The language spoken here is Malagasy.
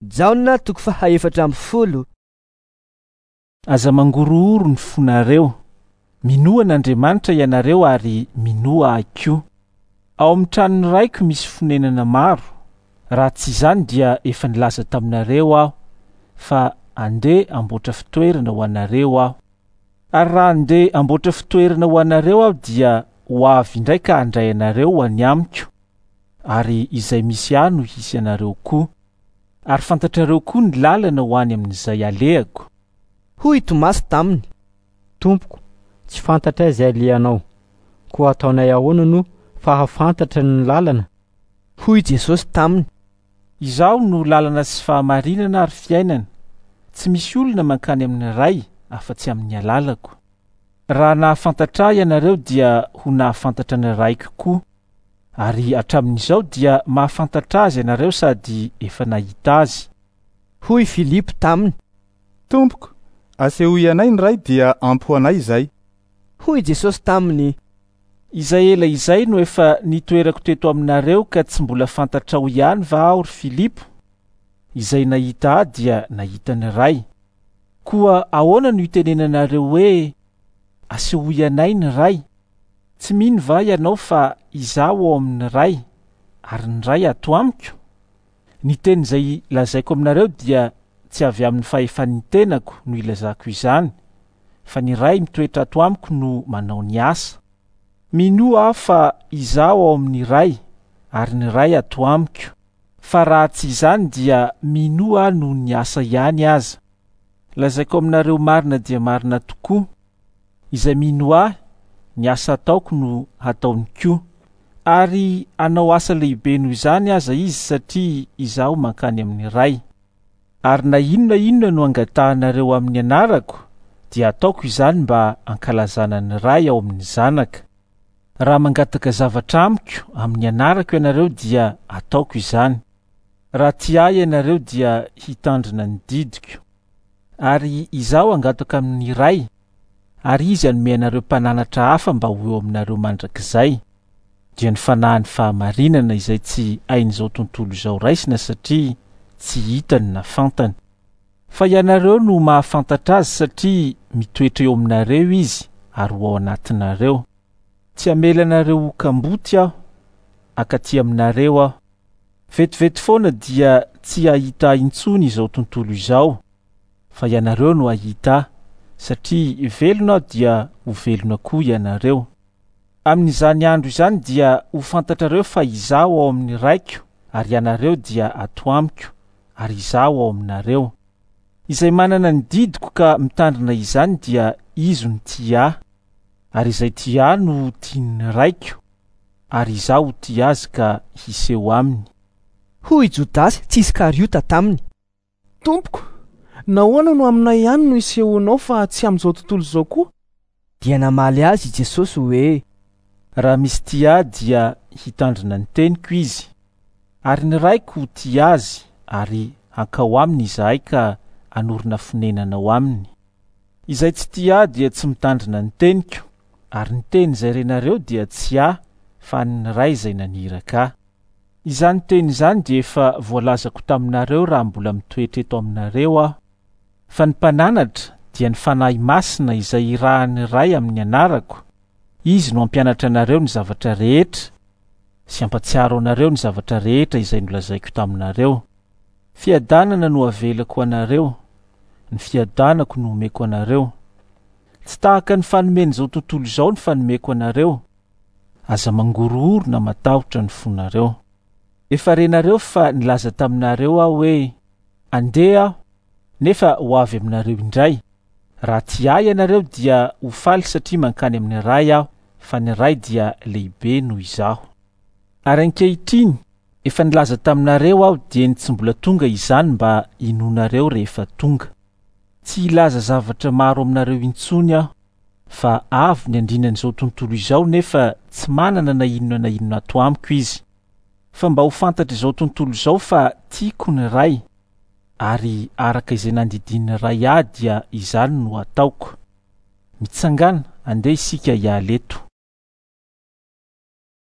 Jaona toko faha 14. Aza mangorohoro ny fonareo. Minoa an'Andriamanitra ianareo ary minoa ahy koa. Ao amin'ny tranon'ny Raiko misy fonenana maro. Raha tsy izany dia efa nilaza taminareo aho fa andeha hamboatra fitoerana ho anareo aho. Ary raha andeha hamboatra fitoerana ho anareo aho dia ho avy indray ka handray anareo ho any amiko, ary izay misy ahy no hisy anareo koa. Ary fantatrareo koa ny lalana ho any amin'izay alehako. Hoy Tomasy taminy. Tompoko, tsy fantatray izay alehanao, koa ataonay ahoana no fahafantatra ny lalana? Hoy Jesosy taminy. Izaho no lalana sy fahamarinana ary fiainana. Tsy misy olona mankany amin'ny Ray afa-tsy amin'ny alalako. Raha nahafantatra ahy ianareo dia ho nahafantatra ny Raiko koa. Ary hatramin'izao dia mahafantatra azy ianareo sady efa nahita azy. Hoy Filipo taminy. Tompoko, asehoy anay ny Ray dia ampy ho anay izay. Hoy Jesosy taminy. Izay ela izay no efa nitoerako teto aminareo ka tsy mbola fantatrao ihany va aho ry Filipo? Izay nahita ahy dia nahita ny Ray. Koa ahoana no itenenanareo hoe asehoy anay ny Ray? Tsy mino va ianao fa izaho ao amin'ny Ray ary ny Ray ato amiko? Ny teny izay lazaiko aminareo dia tsy avy amin'ny fahefan'ny tenako no ilazako izany, fa ny Ray mitoetra ato amiko no manao ny asa. Minoa aho fa izaho ao amin'ny Ray ary ny Ray ato amiko, fa raha tsy izany dia minoa aho noho ny asa ihany aza. Lazaiko aminareo marina dia marina tokoa, izay mino ahy, ny asa ataoko no hataony koa. Ary hanao asa lehibe noho izany aza izy satria izaho mankany amin'ny Ray. Ary na inona inona no angatahanareo amin'ny anarako, dia ataoko izany mba hankalazana ny Ray ao amin'ny Zanaka. Raha mangataka zavatra amiko amin'ny anarako ianareo dia ataoko izany. Raha tia ahy ianareo dia hitandrina ny didiko. Ary izaho hangataka amin'ny Ray, ary izy hanome anareo mpananatra hafa mba ho eo aminareo mandrakizay, dia ny fanahin'ny fahamarinana izay tsy hain'izao tontolo izao raisina satria tsy hitany na fantany. Fa ianareo no mahafantatra azy satria mitoetra eo aminareo izy ary ho ao anatinareo. Tsy hamela anareo ho kamboty aho, hankaty aminareo aho. Vetivety foana dia tsy hahita ahy intsony izao tontolo izao, fa ianareo no hahita ahy, satria velona aho dia ho velona koa ianareo. Amin'izany andro izany dia ho fantatrareo fa izaho ao amin'ny Raiko ary ianareo dia ato amiko ary izaho ao aminareo. Izay manana ny didiko ka mitandrina izany dia izy no tia ahy, ary izay tia ahy no tian'ny Raiko, ary izaho ho tia azy ka hiseho aminy. Hoy Jodasy tsy Iskariota taminy. Tompoko, nahoana no aminay ihany no isehoanao fa tsy amin'izao tontolo izao koa? Dia namaly azy i Jesosy hoe. Raha misy tia ahy dia hitandrina ny teniko izy, ary ny Raiko ho tia azy ary hankao aminy izahay ka hanorina fonenana ao aminy. Izay tsy tia ahy dia tsy mitandrina ny teniko, ary ny teny izay renareo dia tsy ahy fa an'ny Ray izay naniraka ahy. Izany teny izany dia efa voalazako taminareo raha mbola mitoetra eto aminareo aho. Fa ny Mpananatra dia ny Fanahy Masina izay irahan'ny Ray amin'ny anarako, Izy no hampianatra anareo ny zavatra rehetra sy hampatsiaro anareo ny zavatra rehetra izay nolazaiko taminareo. Fiadanana no avelako ho anareo, ny fiadanako no omeko anareo. Tsy tahaka ny fanomen'izao tontolo izao ny fanomeko anareo. Aza mangorohoro na matahotra ny fonareo. Efa renareo fa nilaza taminareo aho hoe, Andeha aho, nefa ho avy aminareo indray. Raha tia ahy ianareo dia ho faly satria mankany amin'ny Ray aho, fa ny Ray dia lehibe noho izaho. Ary ankehitriny, efa nilaza taminareo aho dieny tsy mbola tonga izany mba hinoanareo rehefa tonga. Tsy hilaza zavatra maro aminareo intsony aho, fa avy ny andrinan'izao tontolo izao nefa tsy manana na inona na inona ato amiko izy. Fa mba ho fantatr'izao tontolo izao fa tiako ny Ray, ary araka izay nandidian'ny Ray ahy dia izany no ataoko. Mitsangàna, andeha isika hiala eto.